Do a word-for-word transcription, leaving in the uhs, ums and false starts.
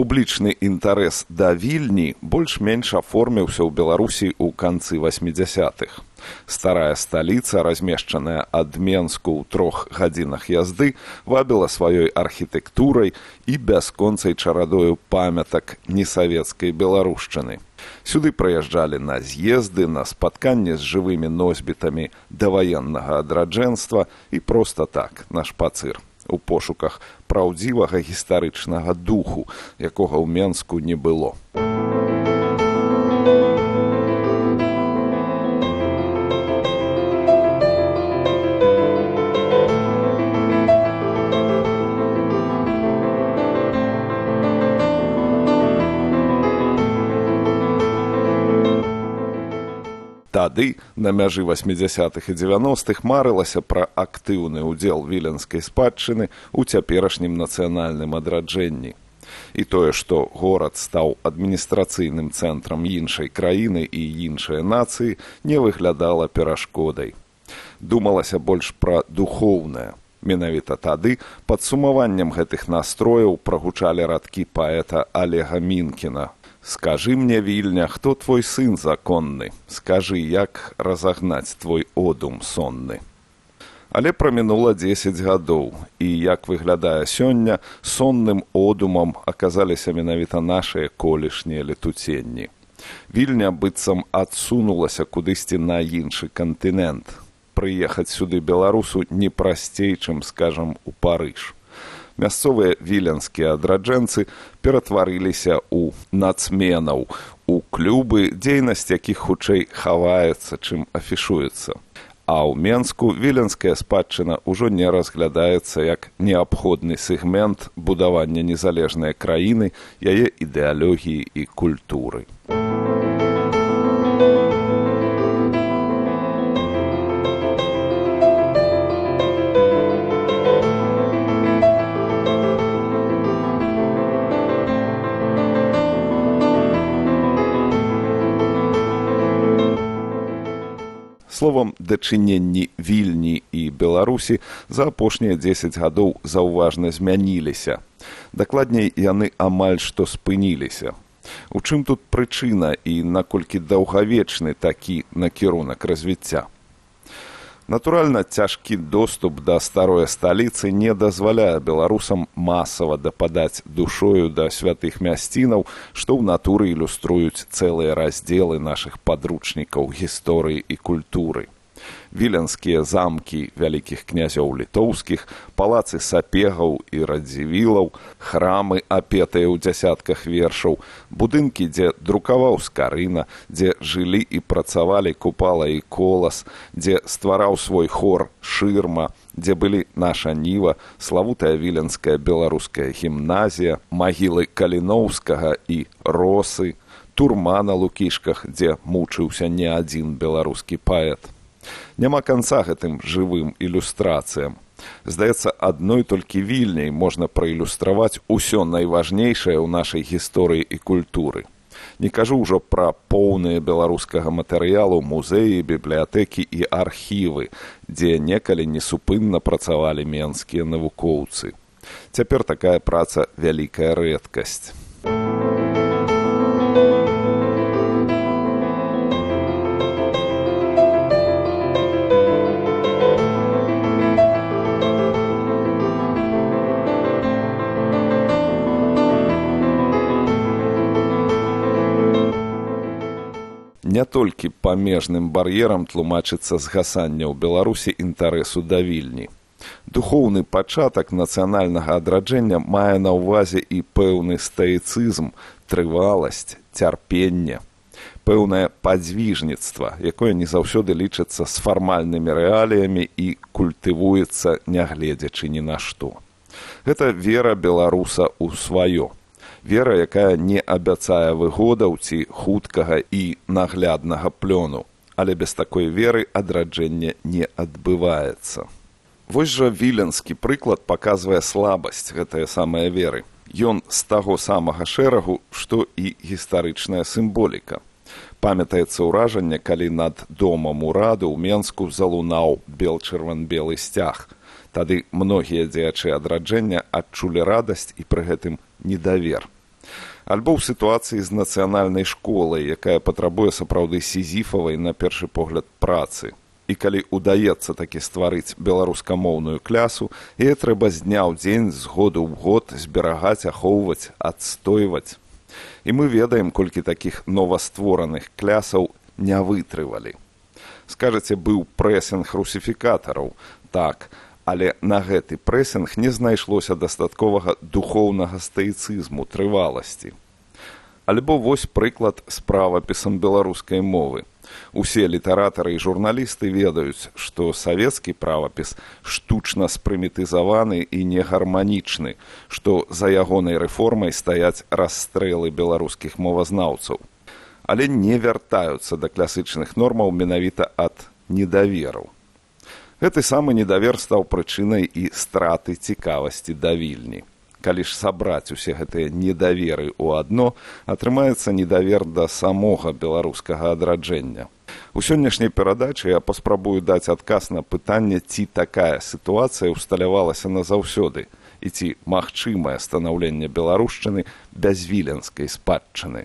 Публічны інтарэс да Вільні больш-менш аформіўся ў Беларусі ў канцы васьмідзясятых. Старая сталіца, размешчаная ад Менску ў трох гадзінах язды, вабіла сваёй архітэктурай і бясконцай чарадою памятак несавецкай беларушчыны. Сюды прыязджалі на з'езды, на спатканні з жывымі носьбітамі даваеннага адраджэнства і проста так, на шпацыр, у пошуках праўдзівага гістарычнага духу, якога ў Менску не было. Тады, на мяжы васьмідзясятых і дзевяностых, марылася пра актыўны ўдзел віленскай спадчыны ў цяперашнім нацыянальным адраджэнні. І тое, што горад стаў адміністрацыйным цэнтрам іншай краіны і іншай нацыі, не выглядала перашкодай. Думалася больш пра духоўнае. Менавіта тады падсумаваннем гэтых настрояў прагучалі радкі паэта Олега Мінкіна. «Скажи мне, Вільня, хто твой сын законны? Скажи, як разагнаць твой одум сонны?» Але прамінула дзесяць гадоў, і, як выглядае сёння, сонным одумам аказаліся менавіта нашыя колішнія летуценні. Вільня быццам адсунулася кудысьці на іншы кантынент. Прыехаць сюды беларусу не прасцей, чым, скажам, у Парыж. Мясцовыя віленскія адраджэнцы ператварыліся ў нацменаў, у клубы, дзейнасць якіх хутчэй хаваецца, чым афішуецца. А ў Менску віленская спадчына ўжо не разглядаецца як неабходны сегмент будавання незалежнай краіны, яе ідэалогіі і культуры. Словам, дачыненні Вільні і Беларусі за апошнія дзесяць гадоў заўважна змяніліся. Дакладней, яны амаль што спыніліся. У чым тут прычына і наколькі даўгавечны такі накірунак развіцця? Натуральна, цяжкі доступ да старой сталіцы не дазваляе беларусам масава дападаць душою да святых мясцінаў, што ў натуры ілюструюць цэлыя раздзелы нашых падручнікаў гісторыі і культуры. Віленскія замкі вялікіх князёў літоўскіх, палацы сапегаў і радзівілаў, храмы, апетыя ў дзясятках вершаў, будынкі, дзе друкаваў Скарына, дзе жылі і працавалі Купала і Колас, дзе ствараў свой хор Шырма, дзе былі наша Ніва, славутая віленская беларуская гімназія, магілы Каліноўскага і Росы, турма на Лукішках, дзе мучыўся не адзін беларускі паэт. Няма канца гэтым жывым ілюстрацыям. Здаецца, адной толькі Вільняй можна праілюстраваць усё найважнейшае ў нашай гісторыі і культуры. Не кажу ўжо пра поўныя беларускага матэрыялу музеі, бібліятэкі і архівы, дзе некалі несупынна працавалі менскія навукоўцы. Цяпер такая праца вялікая рэдкасць. Не толькі памежным бар'ерам тлумачыцца згасанне ў Беларусі інтарэсу да Вільні. Духоўны пачатак нацыянальнага адраджэння мае на ўвазе і пэўны стаіцызм, трываласць, цярпенне, пэўнае падзвіжніцтва, якое не заўсёды лічыцца з фармальнымі рэаліямі і культывуецца, нягледзячы ні на што. Гэта вера беларуса ў сваё. Вера, якая не абяцае выгодаў ці хуткага і нагляднага плёну, але без такой веры адраджэнне не адбываецца. Вось жа віленскі прыклад паказвае слабасць гэтай самай веры. Ён з таго самага шэрагу, што і гістарычная сімволіка. Памятаецца ўражанне, калі над домам ураду ў Менску залунаў бел-чырван-белы сцяг. Тады многія дзеячы адраджэння адчулі радасць і пры гэтым недавер. Альбо ў сітуацыі з нацыянальнай школай, якая патрабуе сапраўды сізіфавай, на першы погляд, працы. І калі ўдаецца такі стварыць беларускамоўную клясу, яе трэба з дня ў дзень, з году ў год зберагаць, ахоўваць, адстойваць. І мы ведаем, колькі такіх новаствораных клясаў не вытрывалі. Скажаце, быў прэсінг русіфікатараў. Так, але на гэты прэсінг не знайшлося дастатковага духоўнага стаіцызму, трываласці. Альбо вось прыклад з правапісам беларускай мовы. Усе літаратары і журналісты ведаюць, што савецкі правапіс штучна спрымітызаваны і негарманічны, што за ягонай рэформай стаяць расстрэлы беларускіх мовазнаўцаў. Але не вяртаюцца да класычных нормаў менавіта ад недаверу. Гэты самы недавер стаў прычынай і страты цікавасці да Вільні. Калі ж сабраць усе гэтыя недаверы ў адно, атрымаецца недавер да самога беларускага адраджэння. У сённяшняй перадачы я паспрабую даць адказ на пытанне, ці такая сітуацыя ўсталявалася назаўсёды, і ці магчымае станаўленне беларушчыны без віленскай спадчыны.